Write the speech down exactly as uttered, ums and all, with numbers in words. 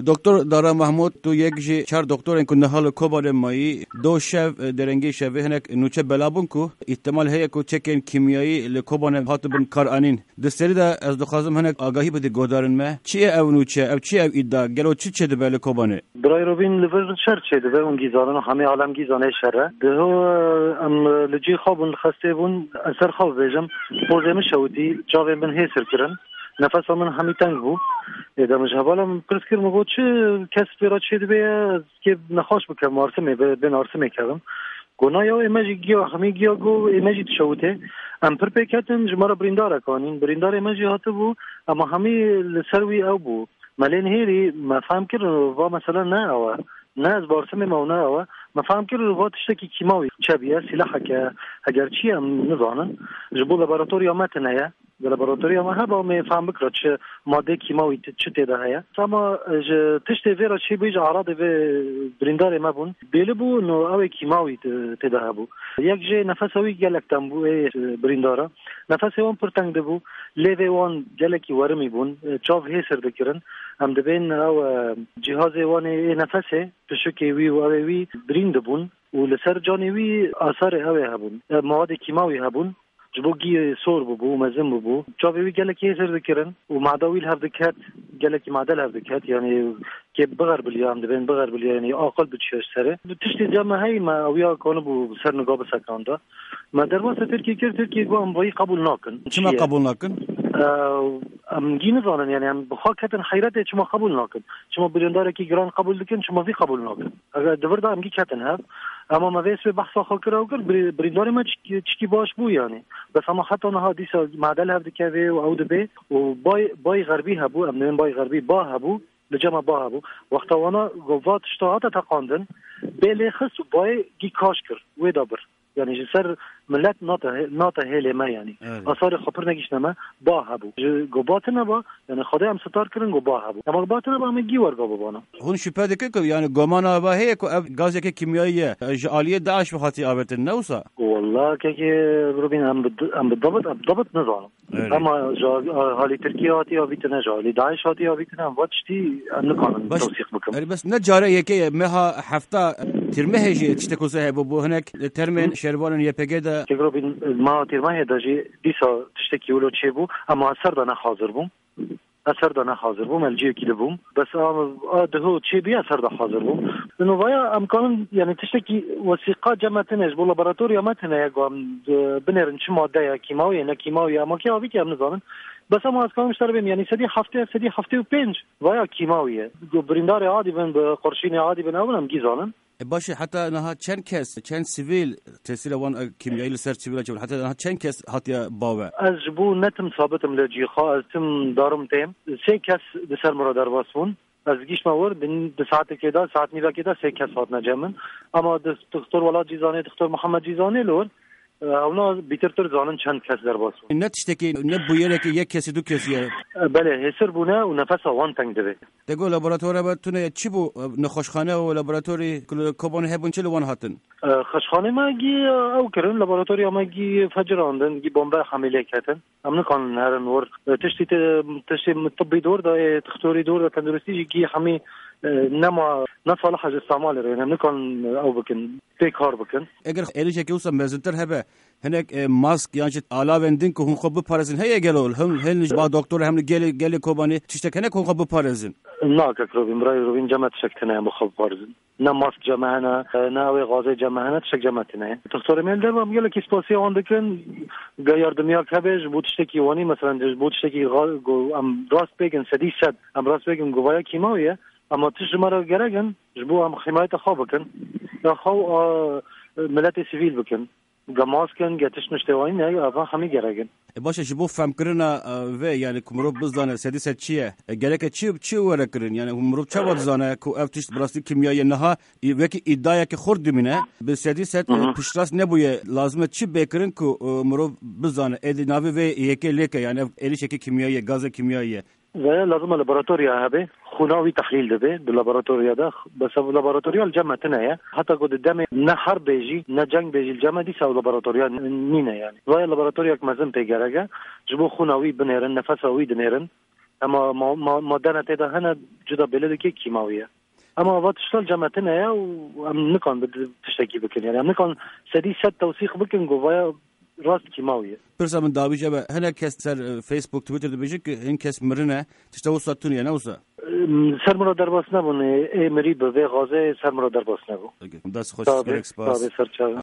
Doktor Dara Mahmud, tu yek ji çar doktorên ku niha li Kobanê mayî, do şev, e, derengê şevê hinek nûçe bela bûn ku îhtimal heye ku çekên kîmyayî li Kobanê hatibin karanîn. Di serî de ez dixwazim hinek agahî bidî guhdarên me. Çi ye ev nûçe, ev çi ye ev îdia? Gelo çi çêdibe li Kobanê? Birayê Robîn, li vir şer çêdibe, hûn gî zanin, hemê alem gî zane şer e. Diho, em li cî xwe bûn, li xestê bûn, ez ser xwe bibêjim, pozê min şewitî, çavên min hêsir kirin, nefesa min hemî teng bû. Ê de min ji hevala min pirs kir, min got, çi kes pê re çêdibe ye, ez kê nexweş bikem, arsimê, bê-, bên arsimê kevim. Got, na ya, ê me jî giya, hemî giya, got, ê me jî dişewitê. Em pir pê ketin, ji me re birîndarek anîn. Birîndarê me jî hatibû, ema hemî li ser wî ew bû. Me lê nihêlî, me fehm kir, va mesele ne ew e. Ne ez barsimê me û ne ew e. Me fehm kir, va tiştekî kîmawî çêbûye, sîleheke, heger çi ye, em nizanin. Ji bo laboratoriya me tune ye. Di laboratoriya me hebe, em ê fehm bikira çi madeyê kîmawî ti-, çi tê de heye. Ama ji tiştê vê re çêbûyî, ji eradê vê birîndarê me bûn. Bêli bû, no ew ê kîmawî ti-, tê de hebû. Yek jê nefesa wî gelek tem bû, ê, birîndara. Nefesê wan pir teng dibû. Lêvê wan gelekî werimî bûn. Çav hêsir dikirin. Em dibên ew, e, cîhazê wan ê, ê nefesê, pişikê wî û ew ê wî birîn dibûn û li ser canê wî asarê ew ê hebûn. E, mawadê kîmawî hebûn. Ji bo gî sor bûbû û mezin bûbû. Çavê wî gelekî hêsir dikirin û mada wî li hev diket, gelekî made li hev diket. Yanî kê bixerbiliya, em dibên bixerbiliya, yanî aqil diçiya ji serê. Bi tiştê cem me heyî me ewiya kanibû ser niga bisekanda. Me derbasa Tirkiyê kir, Tirkiyê got, em vayî qebûl nakin. Çima Çi ye? Qebûl nakin? Ew, em gî nizanin, yanî em bi xwe ketin heyretê, çima qebûl nakin. Çima birîndarekî giran qebûl dikin, çima vî qebûl nakin. Eger di vir de em gî ketin hev. Ema me vê sibê behsa xwe kir, ew kir, birî-, birîndarê me çi-, çikî baş bû, yanî. Bes ema heta niha dîsa made li hev dikeve û ew dibe û bay, bay xerbî hebû, em dibên bay xerbî, ba hebû, li cem me ba hebû. Wexta wana go va tişta hate teqandin, bê lê xist û bayê gî kaş kir, wê da bir. Yanî ji ser milet nate, nate hêlê me, yanî. Evet. Asarê xwe pir negihiştine me, ba hebû. Ji go ba tine ba, yanî Xwedê em sitar kirin, go ba hebû. Ema go ba tine ba, em ê gî werga bibana. Hûn şüphe dikin ku, yanî gomana ve heye ku ev gazeke kîmyayî ye, ji aliyê DAIŞ ve hatiye avêtin, ne wisa? Walla kekê Rubîn, em bi, em bi dabit, em dabit nizanin. Evet. Ema ji alî Tirkiyê hatiye avîtine, ji alî DAIŞ hatiye avîtine, em va tiştî em nikarin Baş, tewsîq bikin. Erê, bes ne care yekê ye, meha hefta tîrmehê jî tiştek wisa hebû, bo hinek termên Hı. şervanên Y P G de. Kekê Rubîn, meha tîrmehê de jî dîsa tiştekî wilo çêbû, ema ez ser de ne hazir bûm. Ez ser de ne hazir bûm, ez li cihekî dibûm. Bes a, a diho çêbûye, ez ser de hazir bûm. Ino vaya em kanin, yanî tiştekî wesîqa cem me tine, ji bo laboratoriya me tine ye, ku em, e, binêrin çi madde ye, kîmawî ye, ne kîmawî ye, ema kê avî kê em nizanin. Bes ema ez kanim ji te re bêm, yanî sedî heftê, sedî heftê û pênc vaya kîmawî ye. Ku birîndarê adî bin, bi qurşînê adî bin, ew bin em gî zanin. E, baş e, heta niha çend kes, çend sivîl tesîra wan, e, kîmyayî li ser sivîla çêbû? Heta niha çend kes hatiye bawe? Ez ji bo ne tim sabit im li cî xwe, ez tim darim têm. Sê kes di ser min re derbas bûn. Ez gihiştme wir, di, di saetekê de, saet nîvekê de sê kes hatine cem min. Ama di, Dixtor Welat jî zanê, Dixtor Mihemed jî zanê li wir. E, hewna bîtir pir zanin çend kes derbas bûn. Ne tiştekî, ne bûyerekî yek kesî, du kesî ye. E, belê, hêsir bûne û nefesa wan teng dibe. Te got laboratora me tune ye. Çi bû? E, nexweşxane û laboratorî ku li Kobanê hebûn, çi li wan hatin? E, xweşxanê me gî, e, ew kirin, laboratoriya me gî fecirandin, gî bombe hemî lê ketin. Em nikanin herin wir. E, tiştî te, tiştê tibbî dor de, e, dixtorî dor de, tenduristî jî gî hemî, e, nema, ne salih ji îstemalê re, em nikanin, e, ew bikin, pê kar bikin. Eger êrişekî wisa mezintir hebe, hinek, e, mask yan jî alavên din ku hûn xwe biparêzin heye gelo? Him, hin ji ba doktor, hem li gelê, gelê Kobanê tiştek hene ku hûn xwe biparêzin? Na, kek Robîn, birayê Robîn, cem me tiştek tine ye em bi xwe biparêzin. Ne mask cem me hene, ne ew ê gazê cem me hene, tiştek cem me tine ye. Dixtorê me li derve, em gelekî spasiya wan dikin. Ge yardimiyak hebe ji bo tiştekî wanî, meselen ji bo tiştekî ga-, go-, em rast bêgin, sedî sed, em rast bêgin govaya kîmawî ye. Ema tişt ji me re gerek in, ji bo em himayeta xwe bikin. Ya xwe û, a, miletê sivîl bikin. Ge mask in, ge tişt niştewanî ne, eva hemî gerek in. E, baş e, ji bo femkirina, e, vê, yani ku mirov bizane sedî sed çi ye, e, gereke çi, çi were kirin? Yani mirov çawa dizane ku ev tişt bi rastî kîmyayî ye? Niha, e, wekî îdiayeke xurt dimîne, bi sedî sed, e, Hı hı. piştrast nebûye. Lazim e çi bê kirin ku, e, mirov bizane? Êdî navê vê yekê lêke, yani ev êrişeke kîmyayî ye, gazê kîmyayî ye. Veye lazim e laboratoriya hebe, xûna wî tehlîl dibe di laboratoriya de. Bes ev laboratoriya li cem me tune ye. Heta ku di demê ne herb bê jî, ne ceng bê jî li cem me, dîsa ew laboratoriya n-, nîne yani. Veye laboratoriyek mezin pê gerek e. Ji bo xûna wî binêrin, nefesa wî dinêrin. Ema ma- ma- madene tê de hene, cuda bêle dike kîmawî ye. Ema va tişta li cem me tune ye û em nikan bi tiştekî bikin. Yani em nikan sedî sed tewsîq bikin ku vaya rast kîmawî ye. Pirsa min dawî jebe, hinek kes ser, e, Facebook, Twitter dibêjin ku hin kes mirine, tişta wisa tune ye, ne wisa? Em, ser min re derbas nebûn, ê, ê mirî bi vê xazê ser min re derbas nebû. Peki. Dest xweş, Tabii, gerek spas. Tabii, ser çav.